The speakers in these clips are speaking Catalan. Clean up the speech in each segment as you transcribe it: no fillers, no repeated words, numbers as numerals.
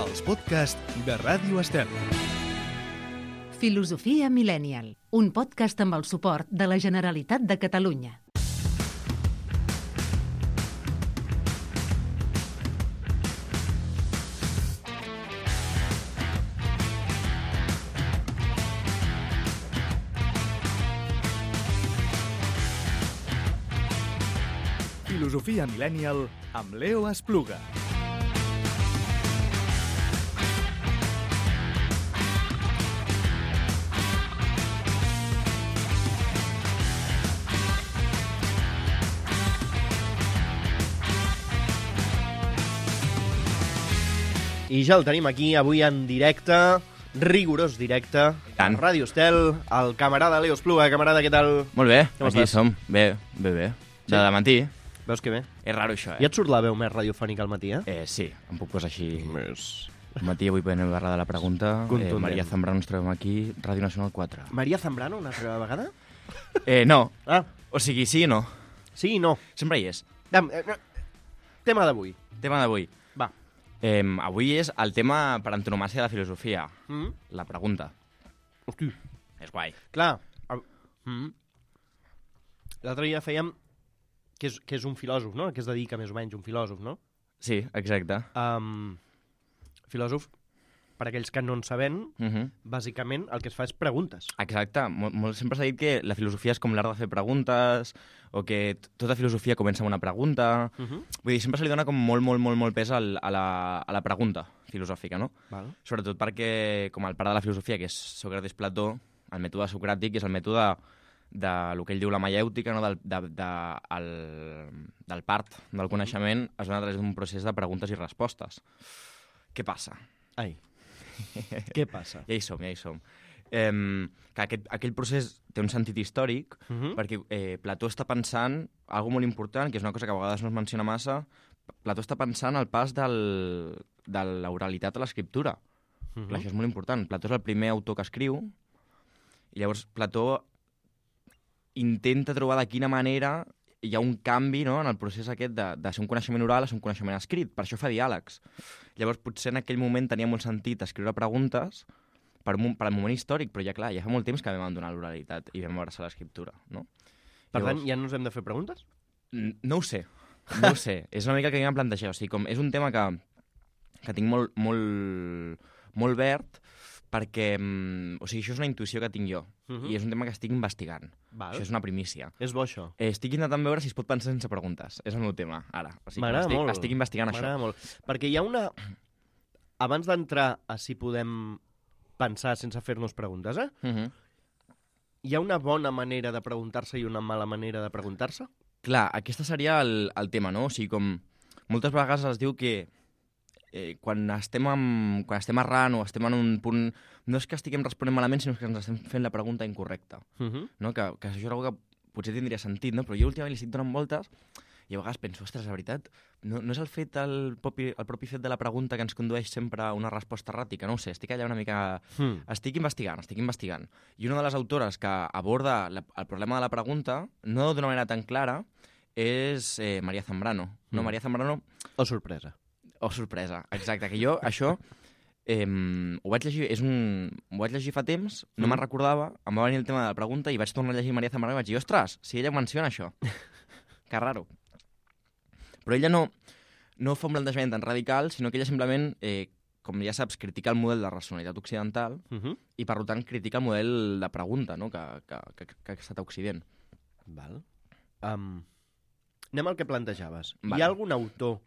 Els podcasts de Ràdio Estel. Filosofia Millennial, un podcast amb el suport de la Generalitat de Catalunya. Filosofia Millennial amb Leo Espluga. I ja el tenim aquí, avui en directe, rigorós directe, a Ràdio Estel, el camarada Leo Espluga. Camarada, què tal? Molt bé, Com aquí estàs? som. Bé. Sí? De matí. Veus que bé? És raro això, Ja et surt la veu més radiofònica al matí, eh? Sí, em puc posar així. Més... Al matí avui podem parlar de la pregunta. Contundent. Maria Zambrano ens trobem aquí, Ràdio Nacional 4. Maria Zambrano, una altra vegada? No. Ah, O sigui, sí i no. sí i no. Sempre hi és. Tema d'avui. Tema d'avui. Va. Avui és el tema per antonomàsia de la filosofia. Mm? La pregunta. Hosti. És guai. Clar. L'altre dia fèiem que és un filòsof, no? Que es dedica més o menys un filòsof, no? Sí, exacte. Filòsof, per aquells que no en saben, bàsicament el que es fa és preguntes. Exacte. Sempre s'ha dit que la filosofia és com l'art de fer preguntes, o que tota filosofia comença amb una pregunta. Vull dir, sempre se li dona com molt pes a la pregunta filosòfica, no? Val. Sobretot perquè, com el pare de la filosofia, que és Sòcrates Plató, el mètode socràtic és el mètode del que ell diu la maièutica, no? del part del coneixement, es dona a través d'un procés de preguntes i respostes. Què passa? Ai. Què passa? Ja hi som. Que aquell procés té un sentit històric perquè Plató està pensant alguna molt important, que és una cosa que a vegades no es menciona massa. Plató està pensant el pas de l'oralitat a l'escriptura. Clar, això és molt important. Plató és el primer autor que escriu i llavors Plató intenta trobar de quina manera hi ha un canvi, no?, en el procés aquest de ser un coneixement oral a ser un coneixement escrit. Per això fa diàlegs. Llavors, potser en aquell moment tenia molt sentit escriure preguntes per al moment històric, però ja clar, ja fa molt temps que vam abandonar l'oralitat i vam abraçar l'escriptura, no? Per tant, ja no ens hem de fer preguntes? No ho sé. És una mica que m'he plantejat. O sigui, com és un tema que tinc molt verd, perquè, o sigui, això és una intuïció que tinc jo, i és un tema que estic investigant. Val. Això és una primícia. És bo, això. Estic intentant veure si es pot pensar sense preguntes. És el meu tema, ara. O sigui, M'agrada molt. Estic investigant això. M'agrada molt. Perquè hi ha una... Abans d'entrar a si podem pensar sense fer-nos preguntes, hi ha una bona manera de preguntar-se i una mala manera de preguntar-se? Clar, aquesta seria el tema, no? O sigui, com moltes vegades es diu que quan estem errant o estem en un punt... No és que estiguem responent malament, sinó que ens estem fent la pregunta incorrecta. No? Que això és una cosa que potser tindria sentit, no? Però jo últimament li estic donant voltes i a vegades penso, ostres, la veritat, no és el propi fet de la pregunta que ens condueix sempre a una resposta erràtica, no ho sé, estic allà una mica... Estic investigant. I una de les autores que aborda el problema de la pregunta, no d'una manera tan clara, és Maria Zambrano. No, Maria Zambrano... O sorpresa. O sorpresa, exacte. Que jo, això, ho vaig llegir fa temps, no me'n recordava, em va venir el tema de la pregunta i vaig tornar a llegir Maria Zambrano i vaig dir, ostres, si ella menciona això. Que raro. Però ella no fa un plantejament tan radical, sinó que ella simplement, com ja saps, critica el model de racionalitat occidental i, per tant, critica el model de pregunta, no?, que ha estat a Occident. Val. Anem al que plantejaves. Vale. Hi ha algun autor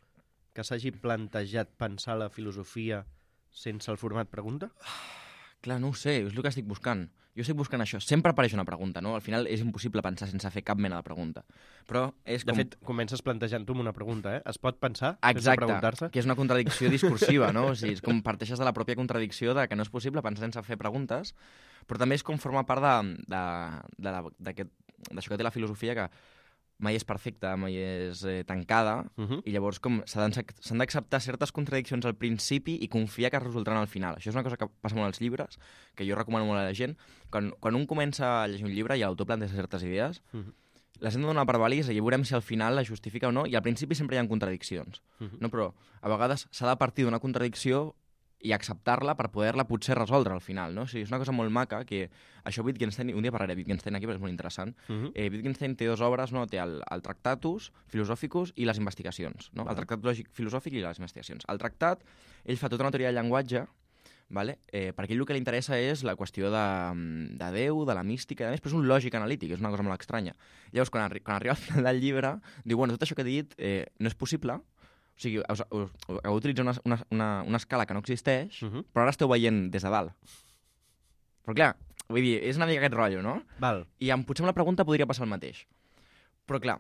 que s'hagi plantejat pensar la filosofia sense el format pregunta? Clar, no ho sé, és el que estic buscant. Jo estic buscant això. Sempre apareix una pregunta, no? Al final és impossible pensar sense fer cap mena de pregunta. Però és com... De fet, comences plantejant-ho amb una pregunta, Es pot pensar sense Exacte, preguntar-se? que és una contradicció discursiva, no? O sigui, és com parteixes de la pròpia contradicció de que no és possible pensar sense fer preguntes, però també és com formar part d'això que té la filosofia, que mai és perfecta, mai és tancada, i llavors com s'han d'acceptar certes contradiccions al principi i confiar que es resoldran al final. Això és una cosa que passa molt als llibres, que jo recomano molt a la gent. Quan un comença a llegir un llibre i l'autor planteja certes idees, les hem de donar per vàlides i veurem si al final la justifica o no, i al principi sempre hi ha contradiccions. No? Però a vegades s'ha de partir d'una contradicció i acceptar-la per poder-la potser resoldre al final, no? O sigui, és una cosa molt maca que això Wittgenstein, un dia parlaré de Wittgenstein aquí perquè és molt interessant. Wittgenstein té 2 obres, no? Té el Tractatus Philosophicus i les investigacions, no? El Tractat lògic filosòfic i les investigacions. El tractat, ell fa tota una teoria del llenguatge, vale? Perquè ell el que li interessa és la qüestió de Déu, de la mística, però és un lògic analític, és una cosa molt estranya. Llavors, quan arriba al final del llibre, diu, bueno, tot això que he dit no és possible, o sigui, heu d'utilitzar una escala que no existeix, però ara esteu veient des de dalt. Però clar, vull dir, és una mica aquest rotllo, no? Val. I potser amb la pregunta podria passar el mateix. Però clar,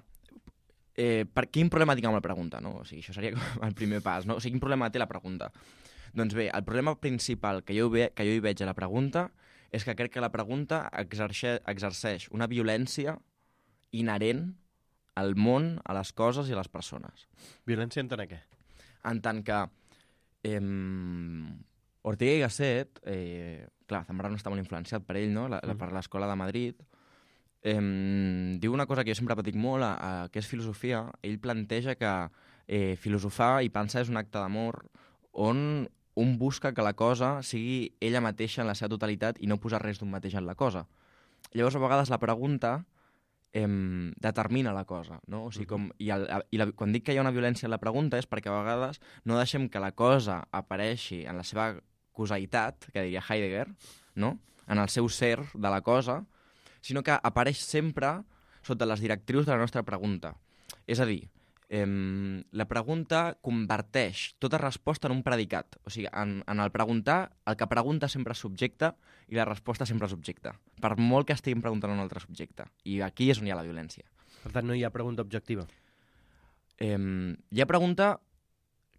quin problema tinc amb la pregunta, no? O sigui, això seria el primer pas, no? O sigui, quin problema té la pregunta? Doncs bé, el problema principal que jo hi veig a la pregunta és que crec que la pregunta exerceix una violència inherent al món, a les coses i a les persones. Violència en tant a què? En tant que Ortega y Gasset, clar, Zambrano està molt influenciat per ell, no? Per l'Escola de Madrid, diu una cosa que jo sempre repetic molt, que és filosofia. Ell planteja que filosofar i pensar és un acte d'amor on un busca que la cosa sigui ella mateixa en la seva totalitat i no posar res d'un mateix en la cosa. Llavors, a vegades la pregunta determina la cosa, no? O sigui, quan dic que hi ha una violència en la pregunta és perquè a vegades no deixem que la cosa apareixi en la seva causalitat, que diria Heidegger, no? En el seu ser de la cosa, sinó que apareix sempre sota les directrius de la nostra pregunta. És a dir, la pregunta converteix tota resposta en un predicat. O sigui, en el preguntar, el que pregunta sempre és subjecte i la resposta sempre és objecte. Per molt que estiguin preguntant un altre subjecte. I aquí és on hi ha la violència. Per tant, no hi ha pregunta objectiva. Hi ha pregunta...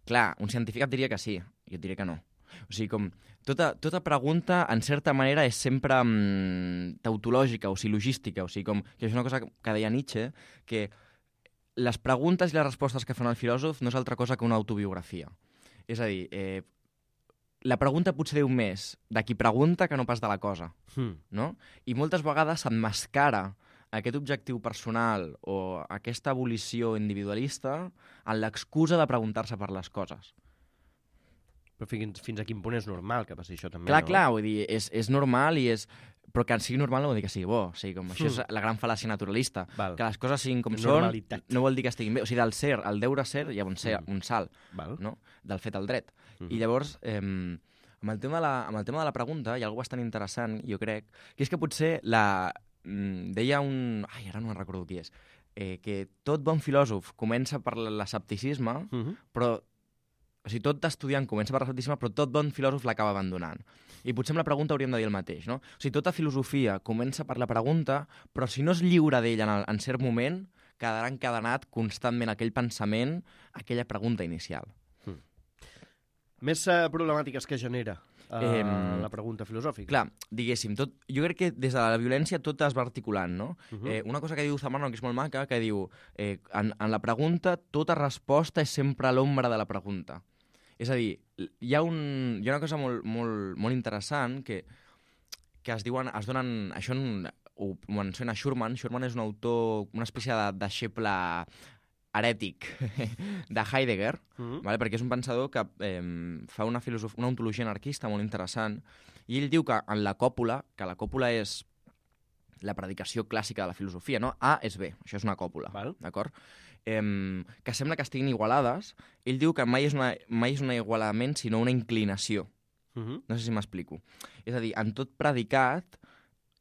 Clar, un científic et diria que sí, jo et diria que no. O sigui, com tota pregunta, en certa manera, és sempre tautològica o silogística. O sigui, com que és una cosa que deia Nietzsche, que les preguntes i les respostes que fan el filòsof no és altra cosa que una autobiografia. És a dir, la pregunta potser diu més de qui pregunta que no pas de la cosa, no? I moltes vegades s'emmascara aquest objectiu personal o aquesta abolició individualista en l'excusa de preguntar-se per les coses. Però fins a quin punt és normal que passi això també, clar, no? Clar, vull dir, és normal i és... Però que sigui normal no vol dir que sigui bo. O sigui, com això és la gran fal·làcia naturalista. Val. Que les coses siguin com normalitat. Són no vol dir que estiguin bé. O sigui, del ser, al deure ser, hi ha un salt, Val. no? Del fet al dret. I llavors, amb el tema de la pregunta, hi ha alguna cosa bastant interessant, jo crec, que és que potser deia un... Ai, ara no me'n recordo qui és. Que tot bon filòsof comença per l'escepticisme, però... O sigui, tot estudiant comença per l'escepticisme, però tot bon filòsof l'acaba abandonant. I potser amb la pregunta hauríem de dir el mateix, no? O sigui, tota filosofia comença per la pregunta, però si no es lliura d'ella en cert moment, quedarà encadenat constantment aquell pensament, aquella pregunta inicial. Més problemàtiques que genera la pregunta filosòfica. Clar, diguéssim, jo crec que des de la violència tot es va articulant, no? Una cosa que diu Zambrano, que és molt maca, que diu en la pregunta tota resposta és sempre a l'ombra de la pregunta. És a dir, hi ha una cosa molt interessant que es donen... Això ho menciona Schurman. Schurman és un autor, una espècie de deixeble herètic de Heidegger, vale? Perquè és un pensador que fa una ontologia anarquista molt interessant, i ell diu que en la còpula, que la còpula és la predicació clàssica de la filosofia, no? A és B, això és una còpula, d'acord? Que sembla que estiguin igualades. Ell diu que mai és un igualament, sinó una inclinació. No sé si m'explico. És a dir, en tot predicat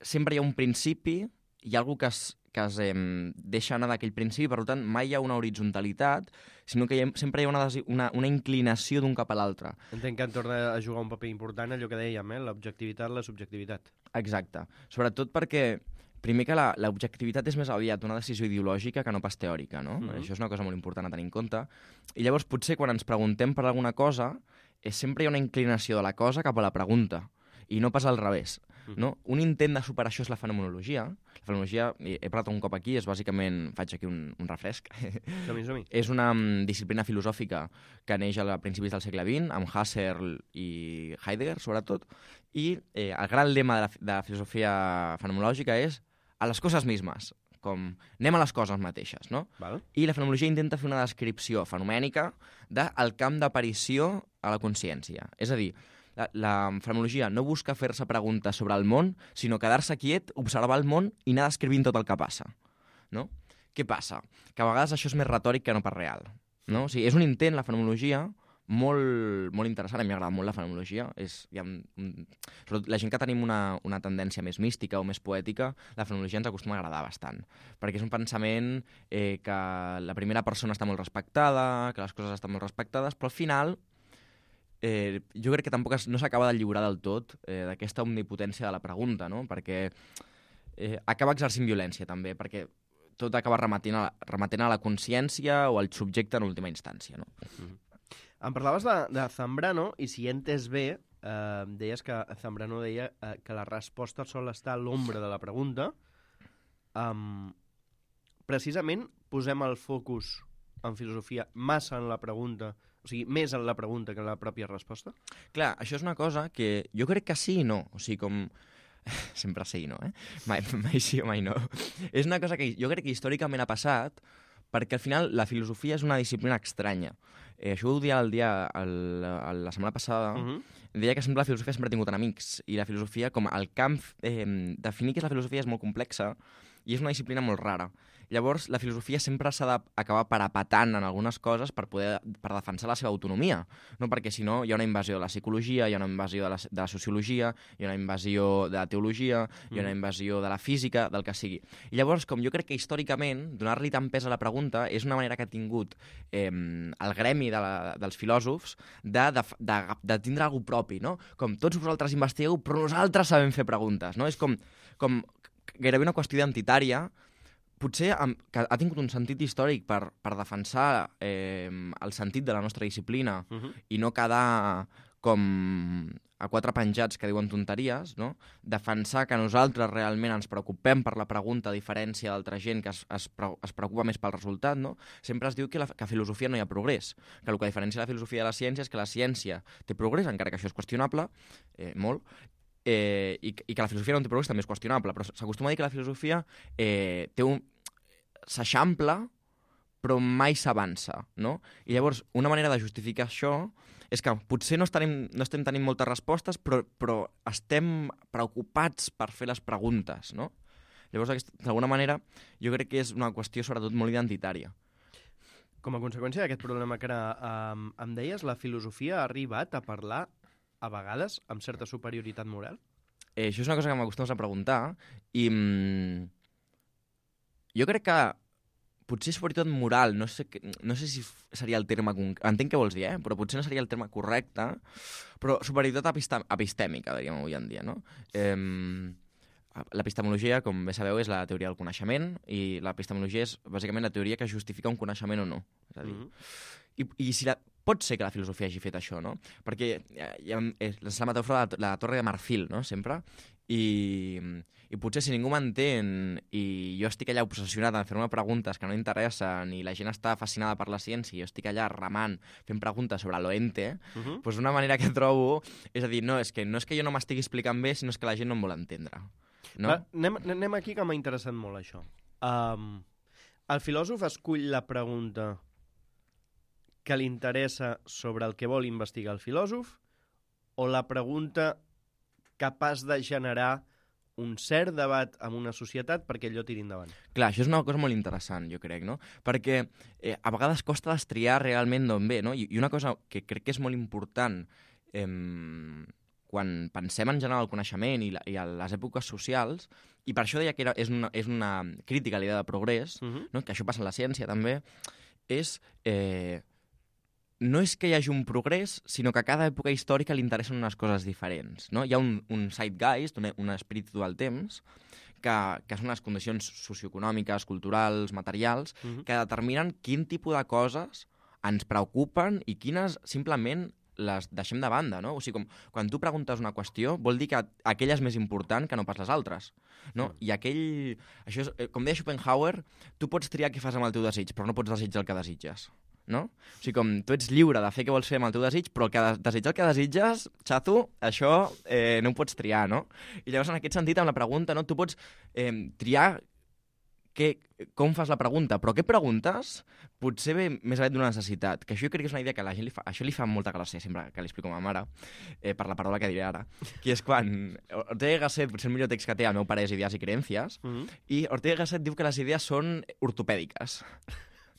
sempre hi ha un principi, hi ha alguna cosa que es deixa anar d'aquell principi, per tant, mai hi ha una horitzontalitat, sinó que sempre hi ha una inclinació d'un cap a l'altre. Entenc que en torna a jugar un paper important allò que dèiem, l'objectivitat, la subjectivitat. Exacte. Sobretot perquè, primer que l'objectivitat és més aviat una decisió ideològica que no pas teòrica, no? Això és una cosa molt important a tenir en compte. I llavors, potser, quan ens preguntem per alguna cosa, sempre hi ha una inclinació de la cosa cap a la pregunta, i no pas al revés. No? Un intent de superar això és la fenomenologia. La fenomenologia, he parlat un cop aquí, és bàsicament, faig aquí un refresc, Som-hi. és una disciplina filosòfica que neix a principis del segle XX, amb Husserl i Heidegger, sobretot, i el gran lema de la filosofia fenomenològica és a les coses mismes, com anem a les coses mateixes, no? Val. I la fenomenologia intenta fer una descripció fenomènica del camp d'aparició a la consciència. És a dir, la fenomenologia no busca fer-se preguntes sobre el món, sinó quedar-se quiet, observar el món i anar descrivint tot el que passa. No? Què passa? Que a vegades això és més retòric que no pas real. No? O sigui, és un intent, la fenomenologia, molt, molt interessant. A mi m'agrada molt la fenomenologia. Sobretot la gent que tenim una tendència més mística o més poètica, la fenomenologia ens acostuma a agradar bastant. Perquè és un pensament que la primera persona està molt respectada, que les coses estan molt respectades, però al final jo crec que tampoc no s'acaba de lliurar del tot d'aquesta omnipotència de la pregunta, no? Perquè acaba exercint violència també, perquè tot acaba remetent a la consciència o al subjecte en última instància, no? Em parlaves de Zambrano, i si he entès bé, deies que Zambrano deia que la resposta sol estar a l'ombra de la pregunta. Precisament posem el focus en filosofia massa en la pregunta, o sigui, més en la pregunta que en la pròpia resposta? Clar, això és una cosa que jo crec que sí i no. O sigui, com... Sempre sí i no, Mai sí o mai no. És una cosa que jo crec que històricament ha passat, perquè al final la filosofia és una disciplina estranya. Això ho dia la setmana passada, deia que la filosofia sempre ha tingut enemics, i la filosofia, com el camp, definir què és la filosofia és molt complexa, i és una disciplina molt rara. Llavors, la filosofia sempre s'ha d'acabar parapetant en algunes coses per defensar la seva autonomia, no? Perquè si no hi ha una invasió de la psicologia, hi ha una invasió de la sociologia, hi ha una invasió de la teologia, hi ha una invasió de la física, del que sigui. I llavors, com jo crec que històricament donar-li tant pes a la pregunta és una manera que ha tingut el gremi dels filòsofs de tindre alguna propi, no? Com tots vosaltres investigueu, però nosaltres sabem fer preguntes, no? És com gairebé una qüestió identitària, potser que ha tingut un sentit històric per defensar el sentit de la nostra disciplina i no quedar com a quatre penjats que diuen tonteries, no? Defensar que nosaltres realment ens preocupem per la pregunta a diferència d'altra gent que es preocupa més pel resultat, no? Sempre es diu que a filosofia no hi ha progrés, que el que diferencia la filosofia de la ciència és que la ciència té progrés, encara que això és qüestionable, molt, i que la filosofia no té progrés també és qüestionable, però s'acostuma a dir que la filosofia s'eixampla però mai s'avança, no? I llavors una manera de justificar això és que potser no estem tenint moltes respostes, però estem preocupats per fer les preguntes, no? Llavors, d'alguna manera, jo crec que és una qüestió sobretot molt identitària. Com a conseqüència d'aquest problema que ara em deies, la filosofia ha arribat a parlar a vegades amb certa superioritat moral? Això és una cosa que m'acostumes a preguntar i jo crec que potser superioritat moral, no sé si seria el terme... Entenc què vols dir, però potser no seria el terme correcte, però superioritat epistèmica, diríem avui en dia, no? L'epistemologia, com bé sabeu, és la teoria del coneixement i l'epistemologia és bàsicament la teoria que justifica un coneixement o no. És a dir, i si pot ser que la filosofia hagi fet això, no? Perquè és la metàfora de la torre de marfil, no? Sempre. I potser si ningú m'entén i jo estic allà obsessionat en fer-me preguntes que no interessen i la gent està fascinada per la ciència i jo estic allà remant fent preguntes sobre l'oente, doncs una manera que trobo és a dir, no és que jo no m'estigui explicant bé, sinó és que la gent no em vol entendre. No? Va, anem aquí, que m'ha interessat molt això. El filòsof escull la pregunta que li interessa sobre el que vol investigar el filòsof o la pregunta capaç de generar un cert debat en una societat perquè allò tiri endavant? Clar, això és una cosa molt interessant, jo crec, no? Perquè a vegades costa destriar realment d'on ve, no? I una cosa que crec que és molt important quan pensem en general el coneixement i a les èpoques socials, i per això deia que és una crítica a l'idea de progrés, no? Que això passa en la ciència també, és... no és que hi hagi un progrés, sinó que a cada època històrica li interessen unes coses diferents, no? Hi ha un zeitgeist, un espíritu del temps, que són les condicions socioeconòmiques, culturals, materials, que determinen quin tipus de coses ens preocupen i quines simplement les deixem de banda, no? O sigui, quan tu preguntes una qüestió, vol dir que aquella és més important que no pas les altres, no? I això és, com deia Schopenhauer, tu pots triar què fas amb el teu desig, però no pots desitjar el que desitges. No? O sigui, com tu ets lliure de fer què vols fer amb el teu desig, però desitjar el que desitges, xato, això no ho pots triar, no? I llavors, en aquest sentit, amb la pregunta, no? Tu pots triar com fas la pregunta, però què preguntes potser ve més aviat d'una necessitat, que això jo crec que és una idea que a la gent això li fa molta gràcia sempre que li explico a ma mare, per la paraula que diré ara, que és quan Ortega y Gasset, potser el millor text que té, el meu pare és Idees i Creencies, i Ortega y Gasset diu que les idees són ortopèdiques.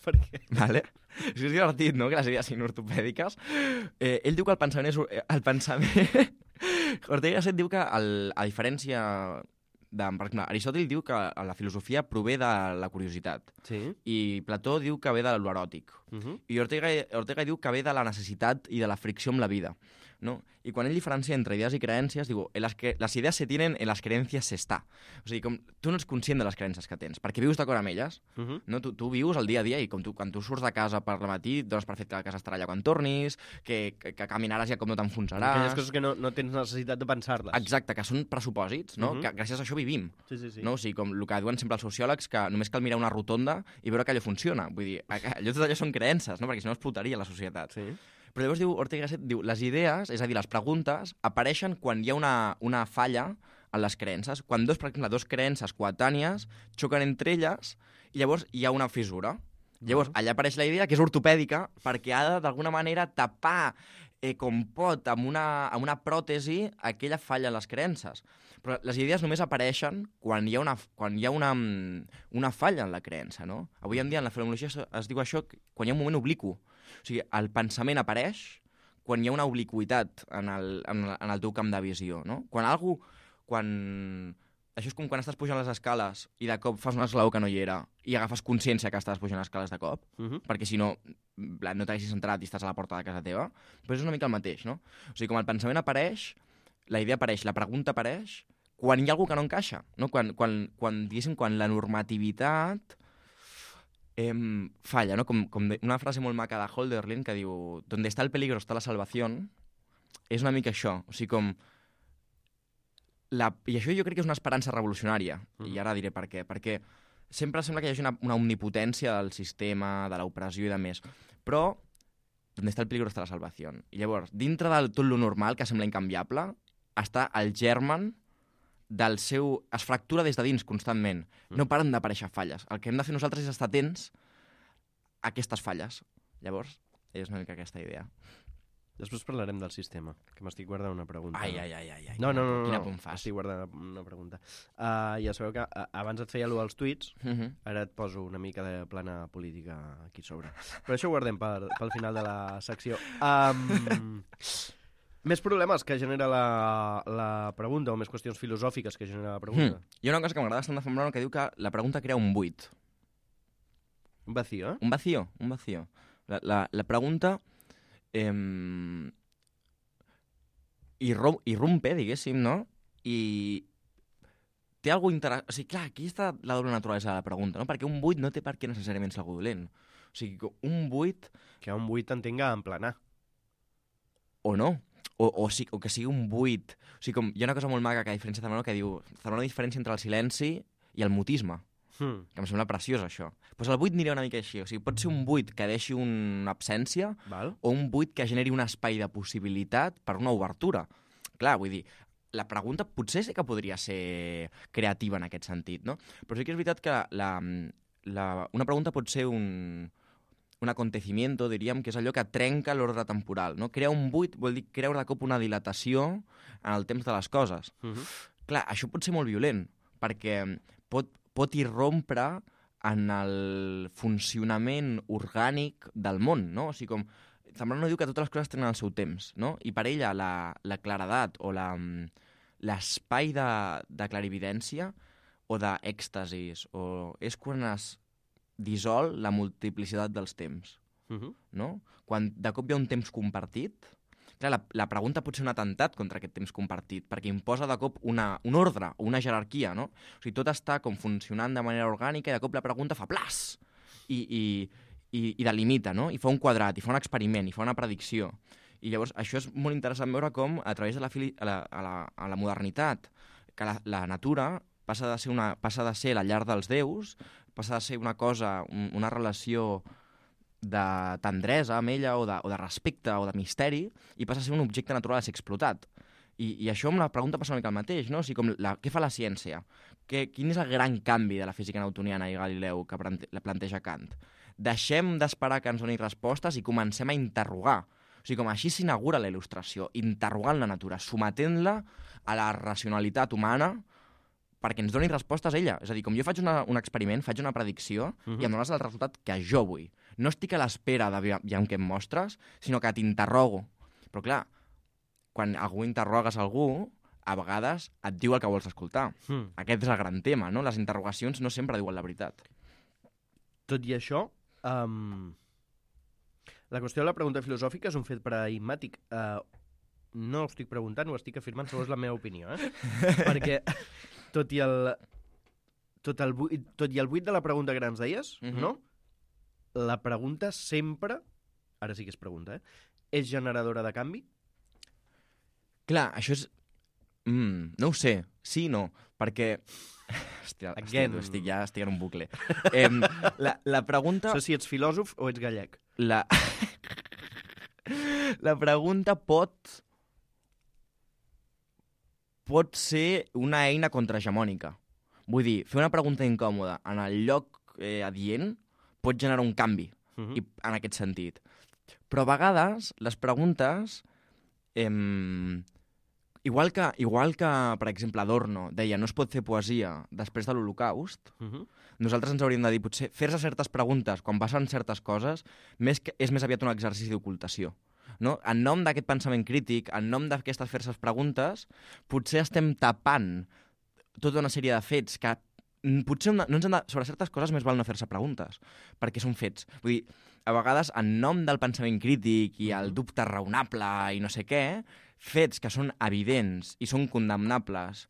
Per què? Vale? És divertit, no?, que les idees siguin ortopèdiques. Ell diu que el pensament és... Ortega y Gasset diu que, a diferència... per exemple, Aristòtil diu que la filosofia prové de la curiositat. Sí. I Plató diu que ve de l'eròtic. I Ortega diu que ve de la necessitat i de la fricció amb la vida. ¿No? I quan ell diferencia entre idees i creences, diu, les idees se tienen, en les creences se està. O sigui, com tu no ets conscient de les creences que tens, perquè vius d'acord amb elles. No? Tu vius el dia a dia i quan tu surts de casa per la matí, dones per fet que la casa estarà allà quan tornis, que caminaràs ja com no t'enfonsaràs. Aquelles coses que no tens necessitat de pensar-les. Exacte, que són pressupòsits, no? Que gràcies a això vivim. Sí. No? O sigui, com el que diuen sempre els sociòlegs, que només cal mirar una rotonda i veure que allò funciona. Vull dir, tot allò són creences, no? Perquè si no explotaria la societat. Sí. Però llavors diu Ortega y Gasset, diu, les idees, és a dir, les preguntes, apareixen quan hi ha una falla en les creences. Quan, per exemple, dos creences coetànies xoquen entre elles i llavors hi ha una fissura. Llavors, allà apareix la idea, que és ortopèdica, perquè ha de, d'alguna manera, tapar com pot, amb una pròtesi, aquella falla en les creences. Però les idees només apareixen quan hi ha una falla en la creença, no? Avui en dia, en la fenomenologia es diu això quan hi ha un moment obliqu. O sigui, el pensament apareix quan hi ha una obliqüitat en el teu camp de visió, no? Això és com quan estàs pujant les escales i de cop fas un esglaó que no hi era i agafes consciència que estàs pujant les escales de cop, perquè si no, no t'haguessis entrat i estàs a la porta de casa teva, però és una mica el mateix, no? O sigui, com el pensament apareix, la idea apareix, la pregunta apareix, quan hi ha algú que no encaixa, no? Quan la normativitat falla, no? Com una frase molt maca de Hölderlin que diu «Donde está el peligro está la salvación», és una mica això, o sigui, com... I això jo crec que és una esperança revolucionària, i ara diré per què, perquè sempre sembla que hi hagi una omnipotència del sistema, de l'opressió i de més, però «Donde está el peligro está la salvación». I llavors, dintre de tot lo normal, que sembla incanviable, està el germen del seu... es fractura des de dins constantment. No paren d'aparèixer falles. El que hem de fer nosaltres és estar atents a aquestes falles. Llavors, és una mica aquesta idea. Després parlarem del sistema, que m'estic guardant una pregunta. Ai. No. Quina punt fas? Estic guardant una pregunta. Ja sabeu que abans et feia allò als tuits, ara et poso una mica de plana política aquí sobre. Però això ho guardem pel final de la secció. Més problemes que genera la pregunta, o més qüestions filosòfiques que genera la pregunta. Hi ha una cosa que m'agrada bastant de Font Brown que diu que la pregunta crea un buit. Un vacío, eh? Un vacío. La pregunta irrumpe, diguéssim, no? I té alguna cosa interessant. O sigui, clar, aquí està la doble naturalesa de la pregunta, no? Perquè un buit no té per què necessàriament ser algú dolent. O sigui, un buit... Que un buit entenga en planar. O no. O que sigui un buit. O sigui, com, hi ha una cosa molt maca que diferència Zambrano que diu Zambrano diferència entre el silenci i el mutisme. Que em sembla preciós, això. Doncs el buit aniria una mica així. O sigui, pot ser un buit que deixi una absència o un buit que generi un espai de possibilitat per una obertura. Clar, vull dir, la pregunta potser sí que podria ser creativa en aquest sentit, no? Però sí que és veritat que una pregunta pot ser un acontecimiento, diríem, que és allò que trenca l'ordre temporal, no? Crear un buit vol dir creure de cop una dilatació en el temps de les coses. Clar, això pot ser molt violent, perquè pot irrompre en el funcionament orgànic del món, no? O sigui, com Zambrano diu que totes les coses tenen el seu temps, no? I per ella la claredat o l'espai de clarividència o d'èxtasis és quan es dissol la multiplicitat dels temps, no? Quan de cop hi ha un temps compartit, clar, la pregunta pot ser un atemptat contra aquest temps compartit, perquè imposa de cop un ordre o una jerarquia, no? O sigui, tot està com funcionant de manera orgànica i de cop la pregunta fa plas i delimita, no? I fa un quadrat, i fa un experiment, i fa una predicció. I llavors això és molt interessant veure com a través de la modernitat, que la natura passa de ser la llar dels déus, passa de ser una cosa, una relació de tendresa amb ella o de respecte o de misteri, i passa a ser un objecte natural a ser explotat. I això amb la pregunta passa una mica el mateix, no? O sigui, què fa la ciència? Quin és el gran canvi de la física newtoniana i Galileu que planteja Kant? Deixem d'esperar que ens doni respostes i comencem a interrogar. O sigui, com així s'inaugura la il·lustració, interrogant la natura, sometent-la a la racionalitat humana perquè ens doni respostes ella. És a dir, com jo faig un experiment, faig una predicció i em dones el resultat que jo vull. No estic a l'espera d'aviam què em mostres, sinó que t'interrogo. Però clar, quan algú interrogues algú, a vegades et diu el que vols escoltar. Aquest és el gran tema, no? Les interrogacions no sempre diuen la veritat. Tot i això, la qüestió de la pregunta filosòfica és un fet paradigmàtic. No ho estic preguntant, ho estic afirmant, segons la meva opinió, perquè tot i el buit de la pregunta que ens deies, no? La pregunta sempre, ara sí que és pregunta, és generadora de canvi? Clar, això és... no ho sé, sí i no, perquè... Hòstia, estic en un bucle. La pregunta... No sé si ets filòsof o ets gallec. La pregunta pot ser una eina contrahegemònica. Vull dir, fer una pregunta incòmoda en el lloc adient pot generar un canvi i, en aquest sentit. Però a vegades les preguntes... Igual que, per exemple, Adorno deia no es pot fer poesia després de l'Holocaust, nosaltres ens hauríem de dir, potser, fer-se certes preguntes quan passen certes coses és més aviat un exercici d'ocultació. No? En nom d'aquest pensament crític, en nom d'aquestes fer-se preguntes, potser estem tapant tota una sèrie de fets que potser no ens han de... Sobre certes coses més val no fer-se preguntes, perquè són fets. Vull dir, a vegades, en nom del pensament crític i el dubte raonable i no sé què, fets que són evidents i són condemnables,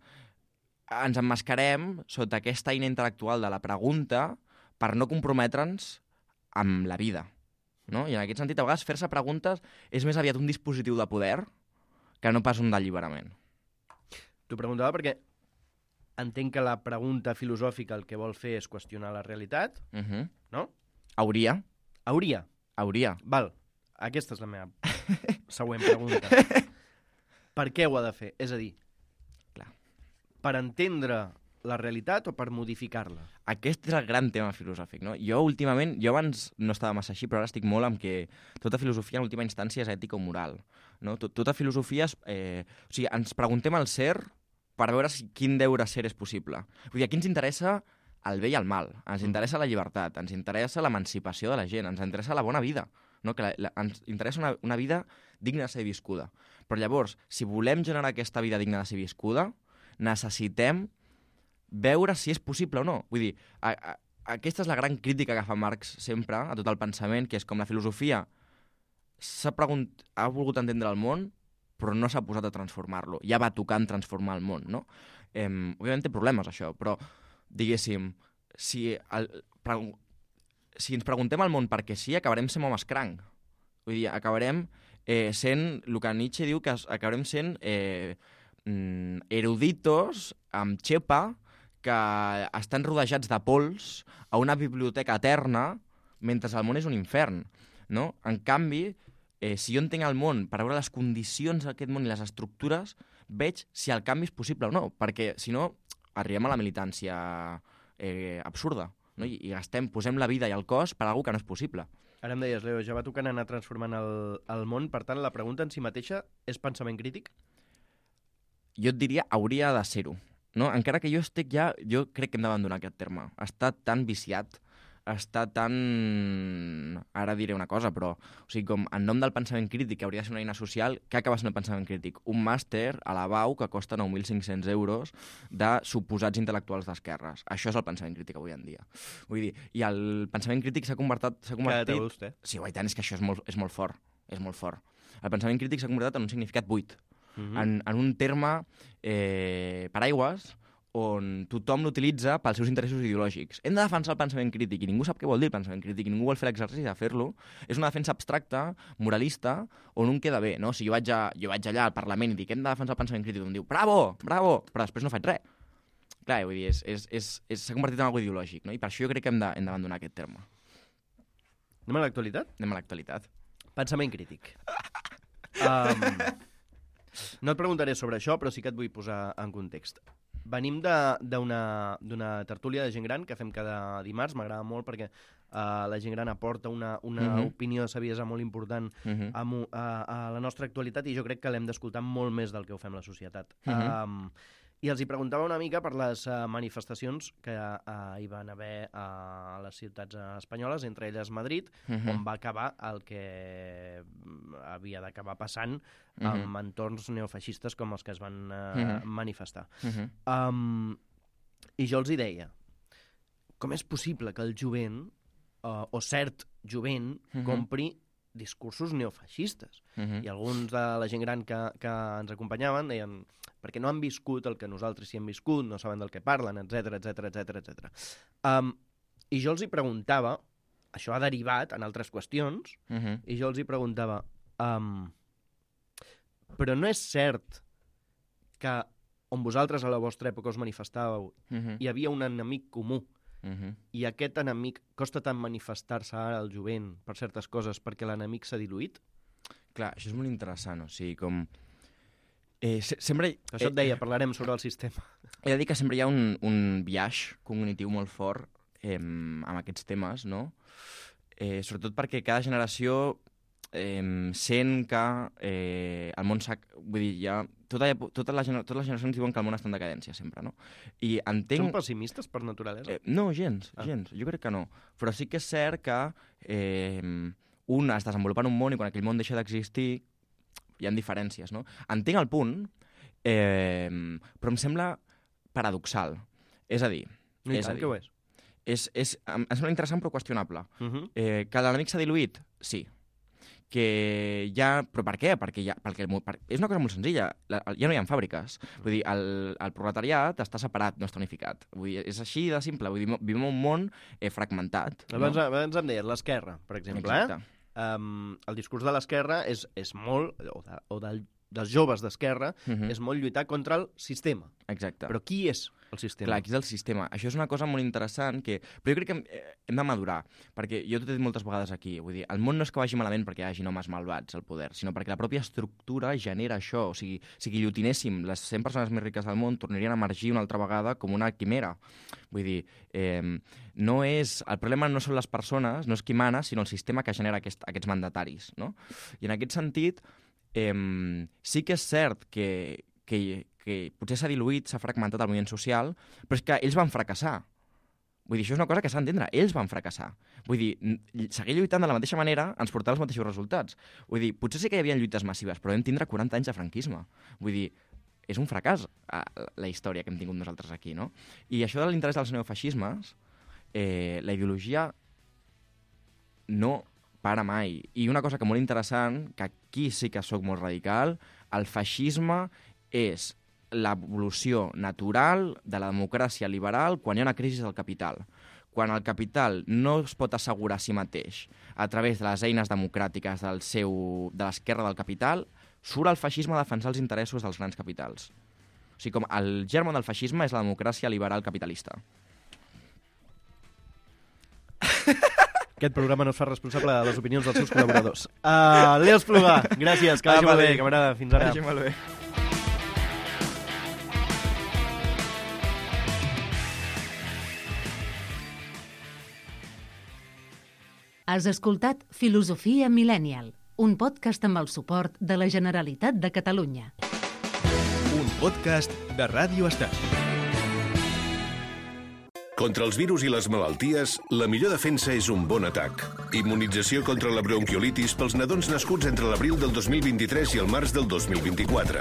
ens emmascarem sota aquesta eina intel·lectual de la pregunta per no comprometre'ns amb la vida. No? I en aquest sentit, a vegades, fer-se preguntes és més aviat un dispositiu de poder que no pas un d'alliberament. T'ho preguntava perquè entenc que la pregunta filosòfica el que vol fer és qüestionar la realitat, no? Hauria. Val, aquesta és la meva següent pregunta. Per què ho ha de fer? És a dir, clar, per entendre la realitat o per modificar-la? Aquest és el gran tema filosòfic, no? Jo abans no estava massa així, però ara estic molt amb que tota filosofia en última instància és ètica o moral. No? Tota filosofia és... O sigui, ens preguntem al ser per veure quin deure ser és possible. Vull dir, aquí ens interessa el bé i el mal, ens interessa la llibertat, ens interessa l'emancipació de la gent, ens interessa la bona vida, no? Que ens interessa una vida digna de ser viscuda. Però llavors, si volem generar aquesta vida digna de ser viscuda, necessitem veure si és possible o no. Vull dir, aquesta és la gran crítica que fa Marx sempre a tot el pensament, que és com la filosofia ha volgut entendre el món, però no s'ha posat a transformar-lo. Ja va tocant transformar el món, no? Òbviament té problemes, això, però, diguéssim, si ens preguntem al món perquè sí, acabarem sent homes cranc. Vull dir, acabarem sent, el que Nietzsche diu, que acabarem sent eruditos amb xepa que estan rodejats de pols a una biblioteca eterna mentre el món és un infern, no? En canvi, si jo entenc el món per veure les condicions d'aquest món i les estructures, veig si el canvi és possible o no, perquè si no arribem a la militància absurda, no? I posem la vida i el cos per a alguna que no és possible. Ara em deies, Leo, ja va tocant anar transformant el món, per tant, la pregunta en si mateixa és pensament crític? Jo et diria, hauria de ser-ho. No? Encara que jo crec que hem d'abandonar aquest terme. Està tan viciat, està tan... Ara diré una cosa, però... O sigui, com en nom del pensament crític, que hauria de ser una eina social, què acaba sent el pensament crític? Un màster a la BAU que costa 9.500 euros de suposats intel·lectuals d'esquerres. Això és el pensament crític avui en dia. Vull dir, i el pensament crític s'ha convertit... Cada té vostè. Sí, tant, és que això és molt fort. És molt fort. El pensament crític s'ha convertit en un significat buit. En un terme paraigües on tothom l'utilitza pels seus interessos ideològics. Hem de defensar el pensament crític i ningú sap què vol dir el pensament crític i ningú vol fer l'exercici de fer-lo. És una defensa abstracta, moralista, on un queda bé. No? Si jo vaig allà al Parlament i dic hem de defensar el pensament crític, em diu bravo, bravo, però després no faig res. Clar, vull dir, s'ha convertit en algo ideològic, no? I per això jo crec que hem d'abandonar aquest terme. Anem a l'actualitat? Anem a l'actualitat. Pensament crític. No et preguntaré sobre això, però sí que et vull posar en context. Venim d'una tertúlia de gent gran que fem cada dimarts. M'agrada molt perquè la gent gran aporta una opinió de saviesa molt important a la nostra actualitat i jo crec que l'hem d'escoltar molt més del que ho fem la societat. I els hi preguntava una mica per les manifestacions que hi van haver a les ciutats espanyoles, entre elles Madrid, on va acabar el que havia d'acabar passant amb entorns neofeixistes com els que es van manifestar. I jo els hi deia, com és possible que el jovent, o cert jovent, compri discursos neofeixistes? I alguns de la gent gran que ens acompanyaven deien perquè no han viscut el que nosaltres sí hem viscut, no saben del que parlen, etc. I jo els hi preguntava, això ha derivat en altres qüestions, i jo els hi preguntava, però no és cert que on vosaltres a la vostra època us manifestàveu hi havia un enemic comú, i aquest enemic costa tant manifestar-se ara al jovent per certes coses perquè l'enemic s'ha diluït? Clar, això és molt interessant, o sigui, com... sempre... Això et deia, parlarem sobre el sistema. He de dir que sempre hi ha un biaix cognitiu molt fort amb aquests temes, no? Sobretot perquè cada generació sent que el món s'ha... Vull dir, ja... Totes les generacions diuen que el món està en decadència, sempre, no? I entenc... Són pessimistes per naturalesa? No, gens. Jo crec que no. Però sí que és cert que un es desenvolupa en un món i quan aquell món deixa d'existir hi ha diferències, no? Entenc el punt, però em sembla paradoxal. És a dir... No, tant que ho és. Em sembla interessant però qüestionable. Que l'enemic s'ha diluït? Sí. Que ja... Però per què? Perquè és una cosa molt senzilla. Ja no hi ha fàbriques. Vull dir, el proletariat està separat, no està unificat. Vull dir, és així de simple. Vull dir, vivim en un món fragmentat. Abans em deies l'esquerra, per exemple. Exacte. El discurs de l'esquerra és molt, o dels joves d'esquerra, és molt lluitar contra el sistema. Exacte. Però qui és el sistema? Clar, qui és el sistema? Això és una cosa molt interessant que... Però jo crec que hem de madurar, perquè jo t'ho he dit moltes vegades aquí, vull dir, el món no és que vagi malament perquè hi hagi homes malvats al poder, sinó perquè la pròpia estructura genera això. O sigui, si guillotinéssim les 100 persones més riques del món, tornarien a emergir una altra vegada com una quimera. Vull dir, no és... El problema no són les persones, no és qui mana, sinó el sistema que genera aquests mandataris, no? I en aquest sentit, sí que és cert que potser s'ha diluït, s'ha fragmentat el moviment social, però és que ells van fracassar. Vull dir, això és una cosa que s'ha d'entendre. Ells van fracassar. Vull dir, seguir lluitant de la mateixa manera ens portarà els mateixos resultats. Vull dir, potser sí que hi havia lluites massives, però vam tindre 40 anys de franquisme. Vull dir, és un fracàs la història que hem tingut nosaltres aquí, no? I això de l'interès dels neofeixismes, la ideologia no para mai. I una cosa que molt interessant, que aquí sí que sóc molt radical, el feixisme és l'evolució natural de la democràcia liberal quan hi ha una crisi del capital. Quan el capital no es pot assegurar a si mateix a través de les eines democràtiques de l'esquerra del capital, surt el feixisme a defensar els interessos dels grans capitals. O sigui, com el germen del feixisme és la democràcia liberal capitalista. Aquest programa no es fa responsable de les opinions dels seus col·laboradors. Leo Espluga, gràcies, que vagi molt bé, camarada. Fins ara. Que vagi molt bé. Has escoltat Filosofia Millennial, un podcast amb el suport de la Generalitat de Catalunya. Un podcast de Ràdio Estel. Contra els virus i les malalties, la millor defensa és un bon atac. Immunització contra la bronquiolitis pels nadons nascuts entre l'abril del 2023 i el març del 2024.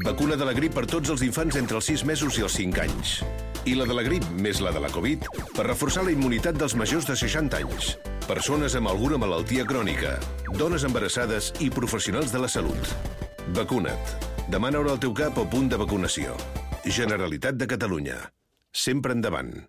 Vacuna de la grip per tots els infants entre els 6 mesos i els 5 anys. I la de la grip més la de la Covid per reforçar la immunitat dels majors de 60 anys. Persones amb alguna malaltia crònica, dones embarassades i professionals de la salut. Vacuna't. Demana hora al teu CAP o punt de vacunació. Generalitat de Catalunya. Sempre endavant.